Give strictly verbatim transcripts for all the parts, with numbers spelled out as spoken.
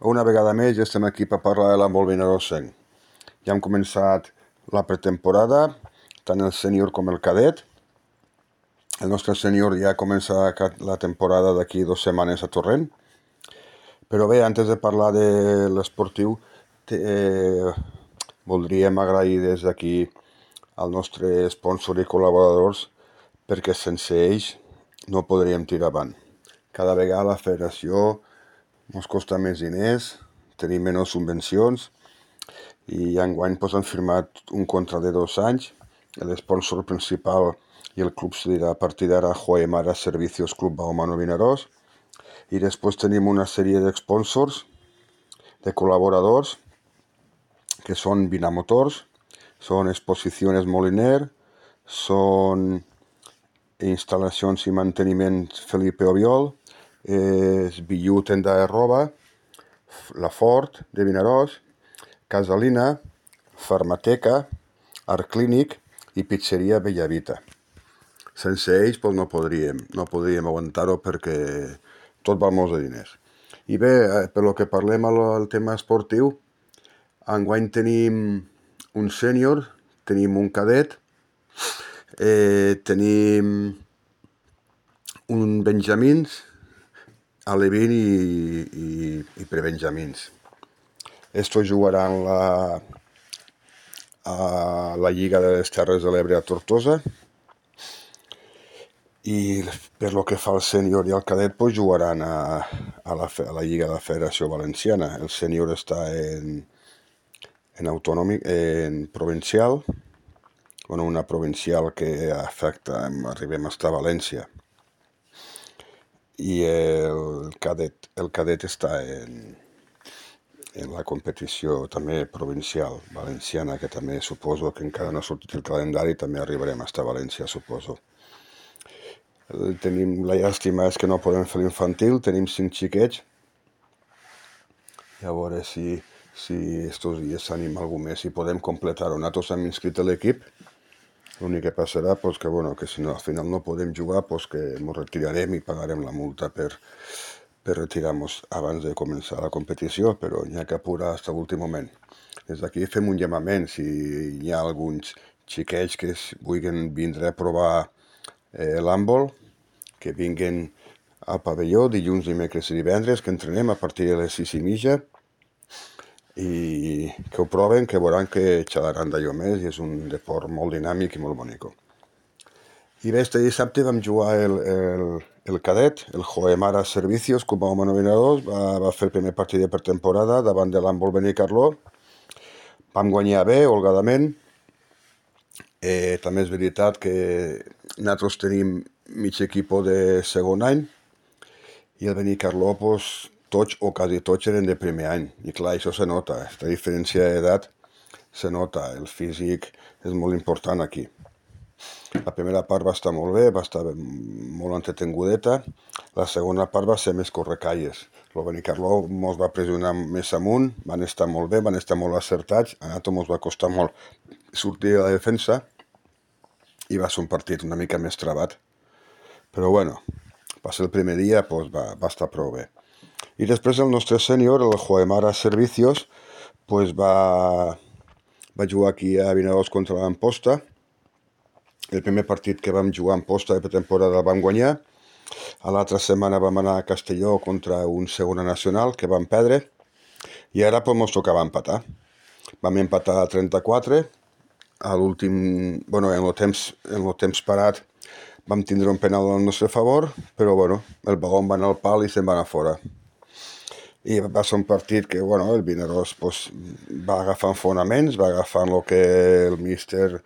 Una vegada més ja estem aquí per parlar de l'handbol Vinaròs cinc. Ja hem començat la pretemporada, tant el sènior com el cadet. El nostre sènior ja comença la temporada d'aquí dues setmanes a Torrent. Però bé, antes de parlar de l'esportiu, eh, voldríem agrair des d'aquí al nostre sponsor i col·laboradors, perquè sense ells no podríem tirar avant. Cada vegada la federació ens costa més diners, tenim menys subvencions i enguany pues, han firmat un contracte de dos anys. L'esponsor principal i el club serà a partir d'ara Joemara Servicios Club Balonmano Vinaròs, i després tenim una sèrie d'esponsors, de col·laboradors, que són Vinamotors, són Exposiciones Moliner, són Instal·lacions i Manteniment Felipe Obiol, és Billu Tenda de Roba, La Fort de Vinaròs, Casalina, Farmateca, Art Clínic i Pizzeria Bellavita. Sense ells pues, no podríem, no podríem aguantar-ho perquè tot val molts de diners. I bé, per lo que parlem al tema esportiu, enguany tenim un sènior, tenim un cadet, eh, tenim un benjamins, alevín i, i, i prebenjamins. Estos jugaran la, a la Lliga de les Terres de l'Ebre a Tortosa, i per lo que fa al sènior i al cadet pues, jugaran a, a, la, a la Lliga de la Federació Valenciana. El sènior està en, en autonòmic, en provincial, bueno, una provincial que afecta, arribem fins a València. I el cadet, el cadet està en, en la competició també provincial valenciana, que també suposo que encara no ha sortit el calendari, també arribarem fins a València, suposo. Tenim, la llàstima és que no podem fer l'infantil, tenim cinc xiquets, i a veure si, si estos dies s'anima algú més i podem completar-ho. Nosaltres hem inscrit a l'equip, l'únic que passarà pues, que, bueno, que si no, al final no podem jugar, pues, que ens retirarem i pagarem la multa per, per retirar-nos abans de començar la competició, però n'hi ha que apurar fins a l'últim moment. Des d'aquí fem un llamament, si hi ha alguns xiquets que vulguin vindre a provar eh, l'handbol, que vinguen al pavelló dilluns, dimecres i divendres, que entrenem a partir de les sis i mitja, i que ho proven, que veuran que xalaran d'allò més, i és un deport molt dinàmic i molt bonico. I bé, este dissabte vam jugar el, el, el cadet, el Joemara Servicios, Club Balonmano Vinaròs, va, va fer el primer partit de pretemporada davant de l'handbol Benicarló. Vam guanyar bé, holgadament. Eh, també és veritat que nosaltres tenim mig equip de segon any, i el Benicarló, pues, tots o quasi tots eren de primer any. I clar, això se nota, aquesta diferència d'edat se nota, el físic és molt important aquí. La primera part va estar molt bé, va estar molt entretengudeta, la segona part va ser més correcalles. El Benicarló ens va pressionar més amunt, van estar molt bé, van estar molt acertats, a nosaltres ens va costar molt sortir a la defensa, i va ser un partit una mica més trabat. Però bueno, va ser el primer dia, pues va, va estar prou bé. I després el nostre sènior, el Joemara Servicios, pues va, va jugar aquí a Vinaròs contra l'Amposta. El primer partit que vam jugar en Amposta de pretemporada el vam guanyar. A l'altra setmana vam anar a Castelló contra un segona nacional que vam perdre. I ara pues, ens tocava empatar. Vam empatar a trenta-quatre. A l'últim, bueno, en el temps, en el temps parat vam tindre un penal al nostre favor, però bueno, el baló va anar al pal i se'n va anar fora. I va ser un partit que, bueno, el Vinaròs pues, va agafant fonaments, va agafant el que el míster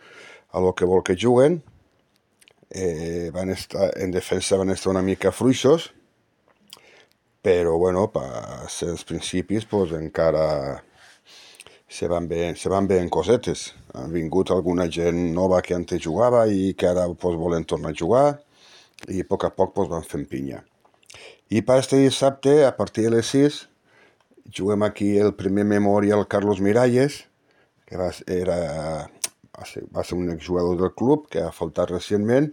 a lo que vol que juguen. Eh, van estar, en defensa van estar una mica fluixos, però bueno, per ser els principis pues, encara se van veient, se van veient cosetes. Ha vingut alguna gent nova que antes jugava i que ara pues, volen tornar a jugar, i a poc a poc pues, van fent pinya. I per este dissabte, a partir de les sis, juguem aquí el primer Memorial Carlos Miralles, que va, era, va, ser, va ser un exjugador del club que ha faltat recentment,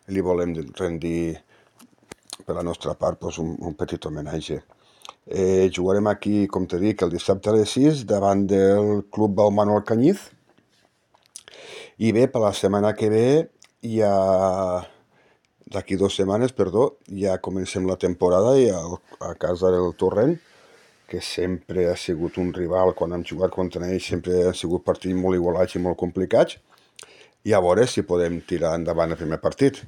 i li volem rendir per la nostra part pues, un, un petit homenatge. Eh, jugarem aquí, com te dic, el dissabte a les sis davant del Club Balmano Alcanyiz. I bé, per la setmana que ve, ja d'aquí dues setmanes, perdó, ja comencem la temporada i a, a casa del Torrent, que sempre ha sigut un rival quan hem jugat contra ells, sempre han sigut partits molt igualats i molt complicats, i a veure si podem tirar endavant el primer partit.